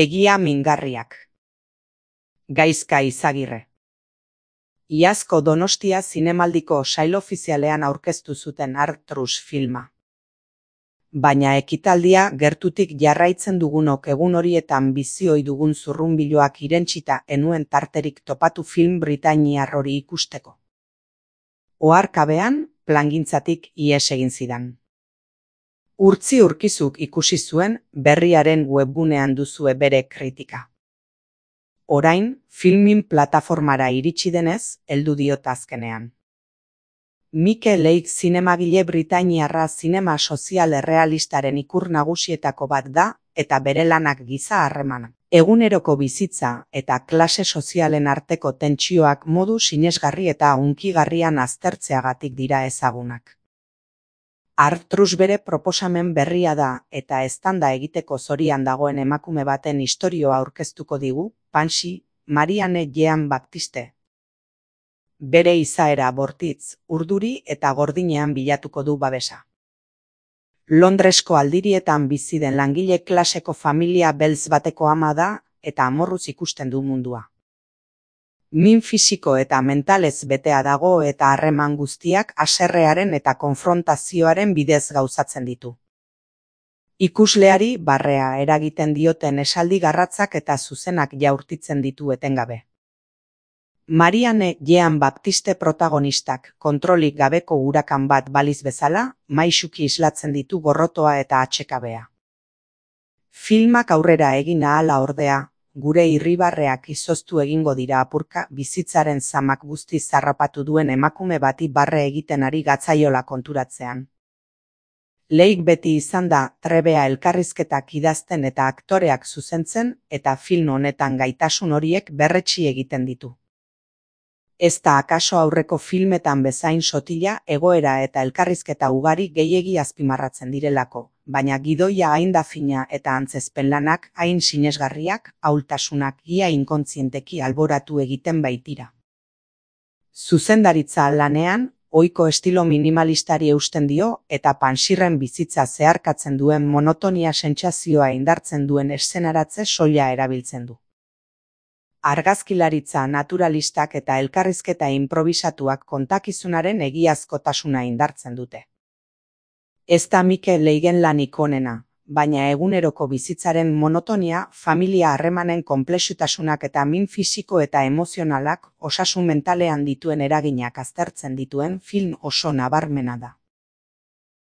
Egia mingarriak. Gaizka Izagirre. Iazko Donostia zinemaldiko sail ofizialean aurkeztu zuten Arcturus filma. Baina ekitaldia gertutik jarraitzen dugunok egun horietan bizi ohi dugun zurrunbiloak irentsita enuen tarterik topatu film britainiar hori ikusteko. Oharkabean, plangintzatik ihes egin zidan. Urtzi Urkizuk ikusi zuen, Berriaren webgunean duzue bere kritika. Orain, filmin plataformara iritsi denez, heldu diot azkenean. Mikel Leigh zinemagile britainiarra zinema sozial errealistaren ikur nagusietako bat da, eta bere lanak giza harremana, eguneroko bizitza eta klase sozialen arteko tentsioak modu sinesgarri eta hunkigarrian aztertzeagatik dira ezagunak. Arcturus bere proposamen berria da eta eztanda egiteko zorian dagoen emakume baten istorioa aurkeztuko digu, Pansy, Marianne Jean-Baptiste. Bere izaera bortitz, urduri eta gordinean bilatuko du babesa. Londresko aldirietan bizi den langile klaseko familia beltz bateko ama da eta amorruz ikusten du mundua. Min fisiko eta mentalez betea dago eta harreman guztiak haserrearen eta konfrontazioaren bidez gauzatzen ditu. Ikusleari barrea eragiten dioten esaldi garratzak eta zuzenak jaurtitzen ditu etengabe. Marianne Jean-Baptiste protagonistak kontrolik gabeko urakan bat baliz bezala, maisuki islatzen ditu gorrotoa eta atsekabea. Filmak aurrera egin ahala ordea, gure irribarreak izoztu egingo dira apurka bizitzaren zamak guztiz zarrapatu duen emakume bati barre egiten ari gatzaiola konturatzean. Leigh beti izan da trebea elkarrizketak idazten eta aktoreak zuzentzen eta film honetan gaitasun horiek berretsi egiten ditu. Ez da akaso aurreko filmetan bezain sotila egoera eta elkarrizketa ugari gehiegi azpimarratzen direlako, baina gidoia hain da fina eta antzezpen lanak hain sinesgarriak, ahultasunak ia inkontzienteki alboratu egiten baitira. Zuzendaritza lanean, ohiko estilo minimalistari eusten dio eta Pansyrren bizitza zeharkatzen duen monotonia sentsazioa indartzen duen eszenaratze soila erabiltzen du. Argazkilaritza naturalistak eta elkarrizketa inprobisatuak kontakizunaren egiazkotasuna indartzen dute. Ez da Mikel Leighen lanik onena, baina eguneroko bizitzaren monotonia, familia harremanen konplexutasunak eta min fisiko eta emozionalak osasun mentalean dituen eraginak aztertzen dituen film oso nabarmena da.